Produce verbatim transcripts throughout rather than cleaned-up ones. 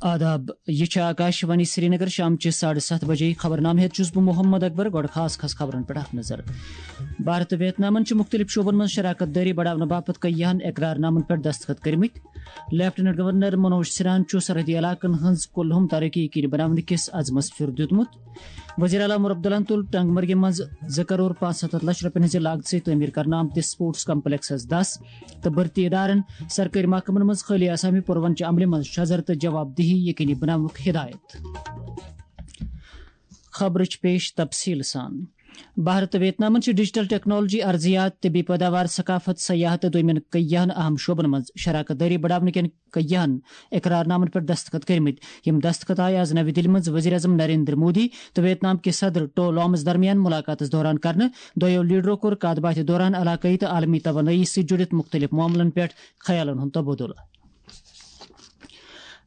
آداب، یہِ چھِ آکاشوانی سرینگر۔ شامچہِ ساڑٕ ستھ بجے خبرنامہٕ ہیٚتھ چھُس بہٕ محمد اکبر۔ گۄڈٕ خاص خاص خبرن پٮ۪ٹھ اکھ نظر۔ بھارت تہٕ ویتنامن چھِ مُختٔلِف شعبن منٛز شراکت دٲری بڑاونہٕ باپتھ کٔیہن اقرار نامن پٮ۪ٹھ دستخط کٔرمٕتۍ۔ لیفٹیننٹ گورنر منوج سنہاہن چھُ سرحدی علاقن ہٕنٛز کُلہُم ترقی یقینی بناونہٕ کِس عزمس پھیُر دیُتمُت۔ وزیر اعلیٰ عمر عبداللہن تُل ٹنگ مرگہِ منٛز زٕ کرور پانٛژھ ستتھ لچھ رۄپین ہٕنٛزِ لاگژٕ تعمیٖر کرنہٕ آمتِس سپورٹس کمپلیکسس دس تہٕ بھرتی ادارن، سرکٲرۍ محکمن منٛز خٲلی آسامہِ پوروَن چہِ عملہِ منٛز شزر تہٕ جواب دہی یقینی بناونُک ہدایت۔ خبرٕچ پیش تفصیل سان۔ بھارت تہٕ ویتنامن چھِ ڈیجیٹل ٹیکنالوجی، ارضیات، طبی پیداوار، ثقافت، سیاحت تہٕ دویمٮ۪ن کیہن اہم شعبن منٛز شراکت دٲری بڑاونہٕ کٮ۪ن کیہن اقرار نامن پٮ۪ٹھ دستخط کٔرمٕتۍ۔ یِم دستخط آیہِ آز نَوِ دِلہِ منٛز وزیر اعظم نریندر مودی تہٕ ویتنام کِس صدر ٹو لامس درمیان مُلاقاتس دوران کرنہٕ۔ دۄیو لیڈرو کوٚر کتھ باتھِ دوران علاقٲیی تہٕ عالمی توانٲیی سۭتۍ جُڑِتھ مُختٔلِف معاملن پٮ۪ٹھ خیالن ہُنٛد تبادلہٕ۔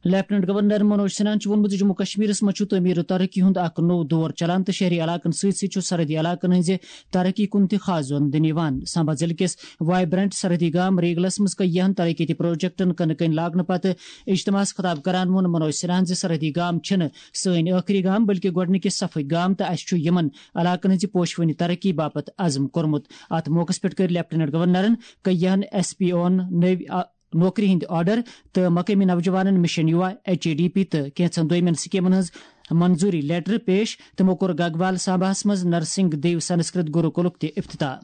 لیفٹیننٹ گورنر منوج سنہاہن چھُ ووٚنمُت زِ جموں کشمیرس منٛز چھُ تعمیٖرٕ ترقی ہُنٛد اکھ نوٚو دور چلان تہٕ شہری علاقن سۭتۍ سۭتۍ چھُ سرحدی علاقن ہٕنٛزِ ترقی کُن تہِ خاص زون دِنہٕ یِوان۔ سامبا ضلعہٕ کِس وائبرنٹ سرحدی گام ریگلس منٛز کیہن ترقیتی پروجیکٹن کٕنہٕ کٔنۍ لاگنہٕ پتہٕ اجتماعس خطاب کران ووٚن منوج سنہاہن زِ سرحدی گام چھِنہٕ سٲنۍ ٲخری گام، بلکہِ گۄڈٕنِکہِ صفٕکۍ گام تہٕ اَسہِ چھُ یِمن علاقن ہٕنٛزِ پوشوٕنی ترقی باپتھ عزم کوٚرمُت۔ اتھ موقعس پٮ۪ٹھ کٔرۍ لیفٹیننٹ گورنرن کیہن ایس پی اون نٔوۍ آ-، نوکری ہٕنٛدۍ آرڈر تہٕ مقٲمی نوجوانن mission Yuva, H A D P تہٕ کینٛژن دویمٮ۪ن سکیمن ہٕنٛز منظوری لیٹر پیش۔ تِمو کوٚر گگوال سامباہس منٛز نرسنگ دیو سنسکرت گروکلُک تہِ افتتاح۔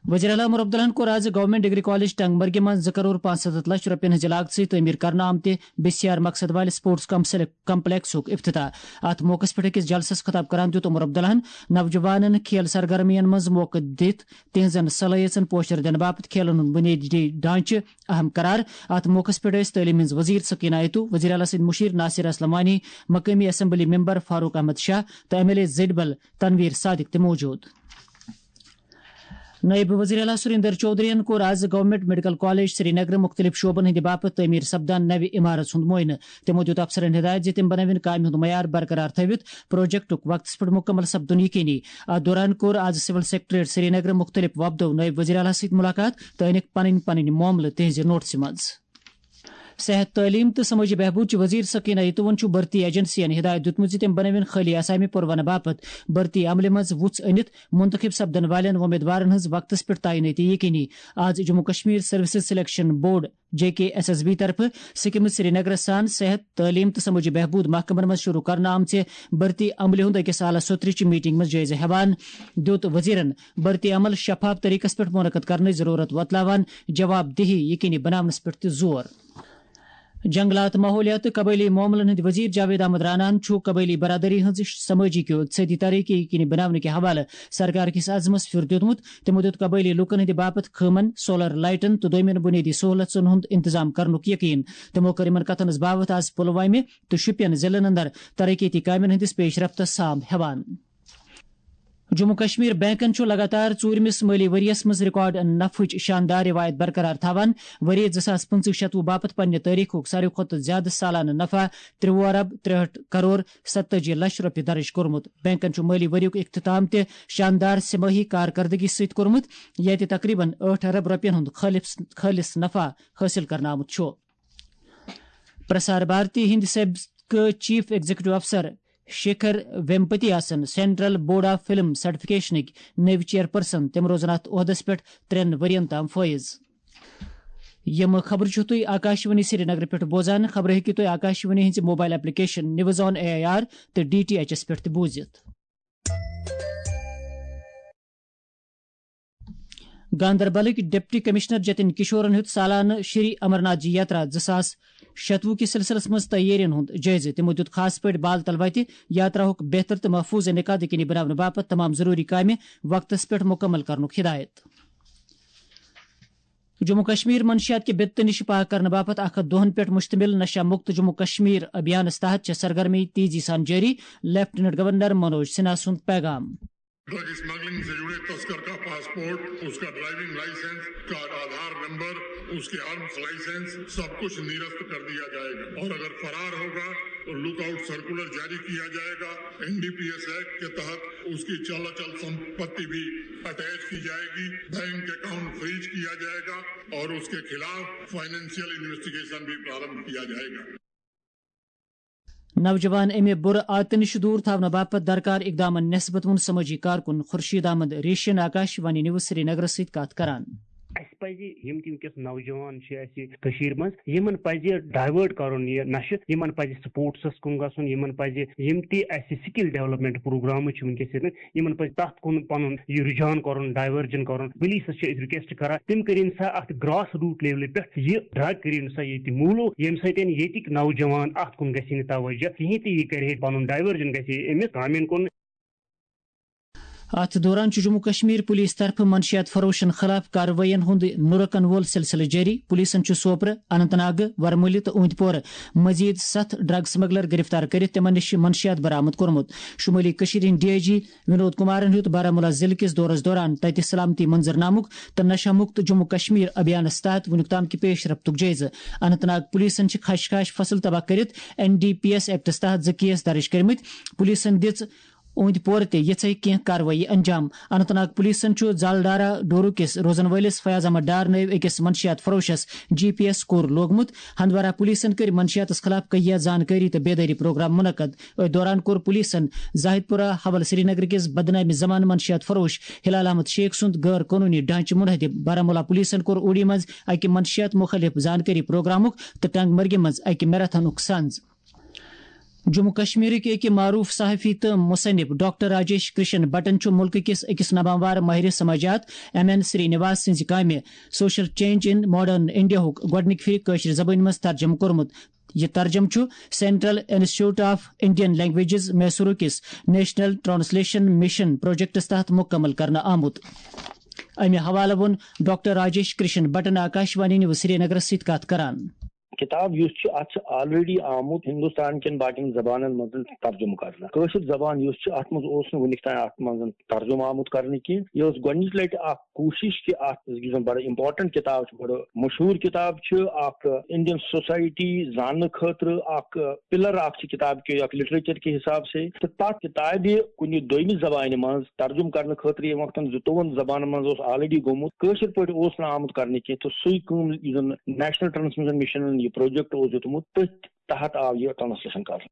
وزیر اعلیٰ عمر عبداللہن کوٚر آز گورنمنٹ ڈگری کالج ٹنگ مرگہِ منٛز زٕ کرور پانٛژھ ستتھ لچھ رۄپین ہٕنٛزِ لاگژٕ تعمیٖر کرنہٕ آمتہِ بسیار مقصد والہِ سپورٹس کمسل-، کمپلیکسُک افتتاح۔ اتھ موقعس پٮ۪ٹھ أکِس جلسس خطاب کران دیُت عمر عبداللہن نوجوانن کھیل سرگرمین منٛز موقعہٕ دِتھ تِہنٛزن صلٲحیژن پوچھر دِنہٕ باپتھ کھیلن ہُنٛد بُنیٲدی ڈھانچہٕ اہم قرار۔ اتھ موقعس پٮ۪ٹھ ٲسۍ تعلیٖم ہٕنٛز وزیر سکینہ ایتو، وزیر اعلیٰ سٕنٛدۍ مُشیر ناصر اسلم وانی، مقٲمی اسمبلی ممبر فاروق احمد شاہ تہٕ ایم ایل اے زڈبل تنویر صادق تہِ موجود۔ نائب وزیر اعلیٰ سریندر چودھرین کوٚر آز گورنمنٹ میڈیکل کالج سرینگر مُختٔلِف شعبن ہٕنٛدِ باپتھ تعمیٖر سپدان نوِ عمارژ ہُنٛد معائنہٕ۔ تِمو دیُت افسرن ہدایت زِ تِم بنٲوِن کامہِ ہُنٛد معیار برقرار تھٲوِتھ پروجیکٹُک وقتس پٮ۪ٹھ مُکمل سپدُن یقینی۔ اتھ دوران کوٚر آز سول سیکرٹریٹ سرینگر مُختٔلِف وفدو نائب وزیر اعلیٰ سۭتۍ مُلاقات تہٕ أنِکھ پنٕنۍ پنٕنۍ معاملہٕ تِہنٛزِ نوٹسہِ منٛز۔ صحت، تعلیٖم تہٕ سمٲجی بہبود چہِ وزیر سکینہ ایتوَن چھُ بھرتی ایجنسین ہدایت دیُتمُت زِ تِم بنٲوِن خٲلی آسامہِ پوروانہٕ باپتھ بھرتی عملہِ منٛز وُژھ أنِتھ منتخب سپدن والٮ۪ن وۄمیدوارن ہٕنٛز وقتس پٮ۪ٹھ تعینٲتی یقینی۔ آز Jammu Kashmir services selection board, J K S S B طرفہٕ سکمز سرینگرس سان صحت، تعلیٖم تہٕ سمٲجی بہبود محکمن منٛز شروع کرنہٕ آمژِ بھرتی عملہِ ہُنٛد أکِس اعلیٰ سطرٕچہِ میٹنگ منٛز جٲیزٕ ہٮ۪وان دیُت وزیرن بھرتی عمل شفاف طریقس پٮ۪ٹھ منعقد کرنٕچ ضرورت وۄتلاوان جواب دہی یقینی بناونس پٮ۪ٹھ تہِ زور۔ جنگلات، ماحولیات تہٕ قبٲئلی معاملن ہٕنٛدۍ وزیر جاوید احمد راناہن چھُ قبٲئلی برادری ہٕنٛز سمٲجی کیو اقتصٲدی ترقی یقینی بناونہٕ کہِ حوالہٕ سرکار کِس عزمس پھیُر دیُتمُت۔ تِمو دیُت قبٲئلی لوٗکن ہٕنٛدِ باپتھ خٲمن، سولر لائٹن تہٕ دویمٮ۪ن بنیٲدی سہولژن ہُنٛد انتظام کرنُک یقین۔ تِمو کٔر یِمن کتھن ہٕنٛز باوتھ آز پلوامہِ تہٕ شوپین ضلعن اندر ترقیتی کامٮ۪ن ہٕنٛدِس پیش رفتس سام ہٮ۪وان۔ جموں کشمیر بینکن چھُ لگاتار ژوٗرمِس مٲلی ؤرۍ یَس منٛز ریکارڈ نفعٕچ شاندار روایت برقرار تھاوان۔ ؤری زٕ ساس پٕنٛژٕہ شتوُہ باپتھ پننہِ تٲریخُک ساروی کھۄتہٕ زیادٕ سالانہٕ نفع ترٛوُہ ارب ترٛہٲٹھ کرور ستٲجی لچھ رۄپیہِ درٕج کوٚرمُت۔ بینکن چھُ مٲلی ؤریُک اختتام تہِ شاندار سہ ماہی کارکردگی سۭتۍ کوٚرمُت، ییٚتہِ تقریباً ٲٹھ ارب رۄپین ہُنٛد خالص، خالص نفع حٲصِل کرنہٕ آمُت چھُ۔ پرسار بھارتی ہٕنٛدۍ سابقہٕ چیف ایگزیکٹو افسر شیکھر ویمپتی آسن سینٹرل بورڈ آف فلم سرٹیفکیشنٕکۍ نٔوۍ چیئرپرسن۔ تِم روزن اتھ عہدس پٮ۪ٹھ ترٛٮ۪ن ؤرین تام فٲیض۔ یِم خبرٕ چھِو تُہۍ آکاشوانی سرینگرٕ پٮ۪ٹھ بوزان۔ خبرٕ ہیٚکِو تُہۍ آکاشوانی ہٕنٛزِ mobile application news on A I R تہٕ ڈی ٹی ایچ ایس پٮ۪ٹھ تہِ بوٗزِتھ۔ گاندربلٕکۍ ڈپٹی کمشنر جتن کشورن ہیوٚت سالانہٕ شری امرناتھ جی یاترا زٕ ساس شتوُہ کِس سلسلس منٛز تیٲرین ہُنٛد جٲیزٕ۔ تِمو دیُت خاص پٲٹھۍ بال تل وتہِ یاتراہُک بہتر تہٕ محفوظ انعقاد یقینی بناونہٕ باپتھ تمام ضروٗری کامہِ وقتس پٮ۪ٹھ مُکمل کرنُک ہدایت۔ جموں کشمیر منشیات کہِ بدتہٕ نِش پاک کرنہٕ باپتھ اکھ ہتھ دۄہن پٮ۪ٹھ مشتمل نشہ مکت جموں کشمیر ابھیانس تحت چھےٚ سرگرمی تیزی سان جٲری، لیفٹیننٹ گورنر منوج سنہا سُنٛد پیغام۔ ڈرگ اسمگلنگ سے جڑے تسکر کا پاسپورٹ، اس کا ڈرائیونگ لائسنس، اس کا آدھار نمبر، اس کے آرمز لائسنس، سب کچھ نرست کر دیا جائے گا اور اگر فرار ہوگا تو لک آؤٹ سرکولر جاری کیا جائے گا۔ N D P S act کے تحت اس کی چل اچل سمپتی بھی اٹیچ کی جائے گی، بینک اکاؤنٹ فریز کیا جائے گا اور اس کے خلاف فائنینشیل انویسٹیگیشن بھی پرارمبھ کیا جائے گا۔ نوجوان امہِ بُرٕ عادتہٕ نِش دوٗر تھاونہٕ باپتھ درکار اقدامن نسبت ووٚن سمٲجی کارکُن خورشید احمد ریشین آکاش وانی نیوز سری نگرس سۭتۍ کتھ کران۔ اسہِ پزِ یِم تہِ وٕنکیٚس نوجوان چھِ اسہِ کٔشیٖر منٛز، یِمن پزِ ڈایوٲرٹ کرُن یہِ نشہٕ، یِمن پزِ سپورٹسس کُن گژھُن، یِمن پزِ یِم تہِ اسہِ سکل ڈیولپمنٹ پروگرامز چھِ وٕنکیٚس ییٚتہِ، یِمن پزِ تتھ کُن پنُن یہِ رجحان کرُن، ڈایورجن کرُن۔ پولیسس چھِ أسۍ رِکویسٹ کران، تِم کٔرِن سا اتھ گراس روٹ لیولہِ پٮ۪ٹھ یہِ ڈرگ کٔرِن سا ییٚتہِ موٗلو، ییٚمہِ سۭتۍ ییٚتِکۍ نوجوان اتھ کُن گژھِ نہٕ توجہ کِہینۍ تہٕ یہِ کرِ ہے پنُن ڈایورجن گژھِ ہے أمِس کامٮ۪ن کُن۔ اتھ دوران چھُ جموں کشمیر پولیس طرفہٕ منشیات فروشن خلاف کاروٲیین ہُنٛد نُرکن وول سلسلہٕ جٲری۔ پولیسن چھُ سوپرٕ، اننت ناگہٕ، ورمُلہِ تہٕ اوندۍ پورٕ مزید ستھ ڈرگ سمگلر گرفتار کٔرِتھ تِمن نِش منشیات برآمد کوٚرمُت۔ شمٲلی کٔشیٖر ہٕنٛدۍ ڈی آئی جی ونود کمارن ہیوٚت بارہمولہ ضلعہٕ کِس دورس دوران تتہِ سلامتی منظرنامُک تہٕ نشہ مکت جموں کشمیر ابھیانس تحت وُنیُک تام کہِ پیش رفتُک جٲیزٕ۔ اننت ناگ پولیسن چھِ خش خاش فصل تباہ کٔرِتھ N D P S acts تحت زٕ کیس درج کٔرمٕتۍ۔ پولیسن دِژ اوندۍ پورٕ تہِ یِژھے کینٛہہ کاروٲیی انجام۔ اننت ناگ پولیسن چھُ زالڈارا ڈورو کِس روزن وٲلِس فیاض احمد ڈار نٲوۍ أکِس منشیات فروشس جی پی ایس کوٗر لوگمُت۔ ہندوارہ پولیسن کٔرۍ منشیاتس خلاف کہیہ زانکٲری تہٕ بیدٲری پروگرام منعقد۔ أتھۍ دوران کوٚر پولیسن زاہد پورہ حول سری نگر کِس بدنامِ زمانہٕ منشیات فروش ہلال احمد شیخ سُنٛد غٲر قونوٗنی ڈھانچہٕ منہدم۔ بارہمولہ پولیسن کوٚر اوڑی منٛز اکہِ منشیات مُخٲلف زانکٲری پروگرامُک تہٕ ٹنگ مرگہِ منٛز اکہِ میراتھنُک سنز۔ جموں کشمیرٕکۍ أکۍ معروف صحافی تہٕ مصنف ڈاکٹر راجیش کرشن بٹن چھُ مُلکہٕ کِس أکِس نامور ماہر سماجیات ایم این سری نواس سٕنٛزِ کامہِ سوشل چینج ان ماڈرن انڈیاہُک گۄڈٕنِکہِ پھِرِ کٲشرِ زبٲنۍ منٛز ترجمہٕ کوٚرمُت۔ یہِ ترجمہٕ چھُ central institute of Indian languages میسورُک کِس نیشنل ٹرانسلیشن مشن پروجیکٹس تحت مکمل کرنہٕ آمُت۔ امہِ حوالہٕ ووٚن ڈاکٹر راجیش کرشن بٹن آکاشوانی نیوز سری نگرس سۭتۍ کتھ کران۔ کتاب یُس چھِ، اتھ چھِ already آمُت ہندوستان کٮ۪ن باقین زبانن منٛز ترجمہٕ کرنہٕ۔ کٲشِر زبان یُس چھِ، اتھ منٛز اوس نہٕ وُنیُک تام اتھ منٛز ترجمہٕ آمُت کرنہٕ کینٛہہ۔ یہِ ٲس گۄڈنِچ لٹہِ اکھ کوٗشِش کہِ اتھ، یُس زن بڑٕ important کتاب چھِ، بڑٕ مشہوٗر کتاب چھِ، اکھ Indian society زاننہٕ خٲطرٕ اکھ pillar اکھ چھِ کتاب کہِ اکھ literature کہِ حساب سے۔ تہٕ تتھ کتابہِ کُنہِ دوٚیمہِ زبانہِ منٛز ترجمہٕ کرنہٕ خٲطرٕ ییٚمہِ وقتن زٕتووُہن زبانن منٛز اوس already گوٚمُت، کٲشِر پٲٹھۍ اوس نہٕ آمُت کرنہٕ کینٛہہ، تہٕ سُے کٲم یُس زن National Transmission Mission یہِ project اوس دیُتمُت، تٔتھۍ تحت آو یہِ translation کرنہٕ۔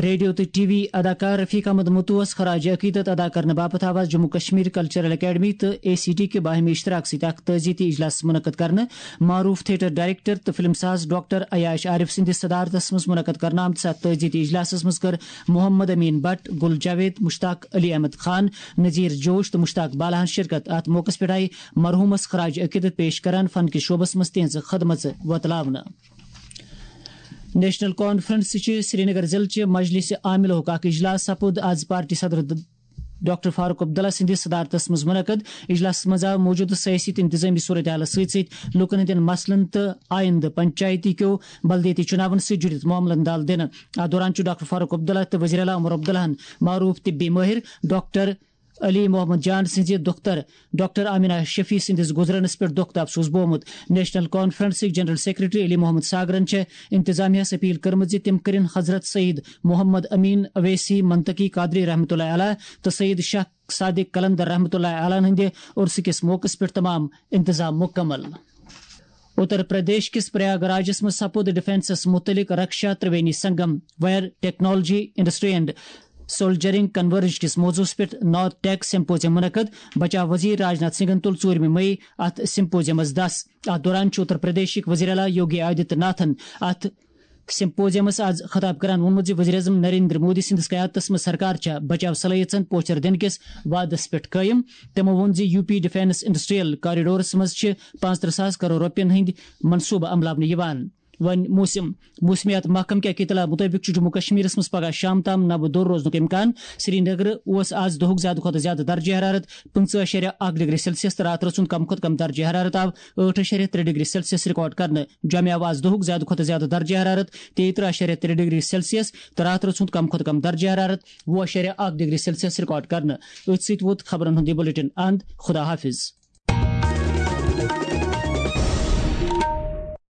ریڈیو تہٕ ٹی وی اداکار رفیق احمد متوس خراج عقیدت ادا کرنہٕ باپتھ آو آز جموں کشمیر کلچرل اکیڈمی تہٕ اے سی ٹی کہِ باہمی اشتراک سۭتۍ اکھ تعزیتی اجلاس منعقد کرنہٕ۔ معروف تھیٹر ڈائریکٹر تہٕ فلم ساز ڈاکٹر عیاش عارف سٕنٛدِس صدارتس منٛز منعقد کرنہٕ آمتِس اتھ تعزیتی اجلاسس منٛز کٔر محمد امین بٹ، گل جاوید، مشتاق علی احمد خان، نذیر جوش تہٕ مشتاق بالہن شرکت۔ اتھ موقعس پٮ۪ٹھ آیہِ مرحومس خراج عقیدت پیش کران فن کِس شعبس منٛز تہنٛز خدمژٕ وۄتلاونہٕ۔ نیشنل کانفرنس چہِ سرینگر ضلعہٕ چہِ مجلس عاملہُک اکھ اجلاس سپُد آز پارٹی صدر ڈاکٹر فاروق عبداللہ سٕنٛدِس صدارتس منٛز منعقد۔ اجلاسس منٛز آو موجودٕ سیٲسی تہٕ انتظٲمی صورتحالس سۭتۍ سۭتۍ لوٗکن ہٕنٛدٮ۪ن مسلن تہٕ آیندٕ پنچایتی کیو بلدیٲتی چُناون سۭتۍ جُڑِتھ معاملن دال دِنہٕ۔ اتھ دوران چھُ ڈاکٹر فاروق عبداللہ تہٕ وزیر اعلیٰ عمر عبداللہن معروف طبی مٲہِر ڈاکٹر علی محمد جان سٕنٛزِ دختر ڈاکٹر آمینہ شفیع سٕنٛدِس گُزرنس پٮ۪ٹھ دۄکھ تہٕ افسوس بومُت۔ نیشنل کانفرنسٕکۍ جنرل سیکرٹری علی محمد ساگرن چھےٚ انتظامیہ ہس اپیل کٔرمٕژ زِ تِم کٔرِن حضرت سید محمد امین اویسی منطقی قادری رحمۃ اللہ علیہ تہٕ سید شاہ صادق قلندر رحمۃ اللہ علیہ ہٕنٛدِ عرسہٕ کِس موقعس پٮ۪ٹھ تمام انتظام مکمل۔ اتر پردیش کِس پریاگ راجس منٛز سپُد ڈیفنسس متعلق Raksha Triveni Sangam, wire technology, industry and soldering converge کِس موضوعس پٮ۪ٹھ نارتھ ٹیک سمپوزیم منعقد۔ بچاو وزیر راجناتھ سنگھن تُل ژوٗرمہِ مئی اتھ سمپوزیمس دس۔ اتھ دوران چھُ اتر پردیشٕکۍ وزیر اعلیٰ یوگی آدتیہ ناتھن اتھ سمپوزیمس آز خطاب کران ووٚنمُت زِ وزیر اعظم نریندر مودی سٕنٛدِس قیادتس منٛز سرکار چھےٚ بچاو صلٲحیژن پوچھر دِنہٕ کِس وعدس پٮ۪ٹھ قٲیِم۔ تِمو ووٚن زِ U P defence industrial corridors منٛز چھِ پانٛژترٕہ ساس کرور رۄپین ہٕنٛدۍ منصوبہٕ عملاونہٕ یِوان۔ وۄنۍ موسم۔ موسمیات محکمہٕ کہِ اطلاع مُطٲبِق چھُ جموں کشمیرس منٛز پگہہ شام تام نبہٕ دوٚر روزنُک امکان۔ سرینگر اوس آز دۄہُک زیادٕ کھۄتہٕ زیادٕ درجہ حرارت پٕنٛژٕہ اَشاریہ اکھ ڈگری سیلسیس تہٕ راتہٕ رژھُنٛد کم کھۄتہٕ کم درجہ حرارت آو ٲٹھ اَشاریہ ترٛےٚ ڈگری سیلسیس ریکارڈ کرنہٕ۔ جوٚمہِ آو آز دۄہُک زیادٕ کھۄتہٕ زیادٕ درجہ حرارت تیٚیہِ ترٕٛہ اَشاریہ ترٛےٚ ڈگری سیلسیس تہٕ راتہٕ رژھُنٛد کم کھۄتہٕ کم درجہ حرارت وُہ اَشاریہ اکھ ڈگری سیلسیس ریکارڈ کرنہٕ۔ أتھۍ سۭتۍ ووت خبرن ہُنٛد یہِ بُلیٹن اند۔ خدا حافظ۔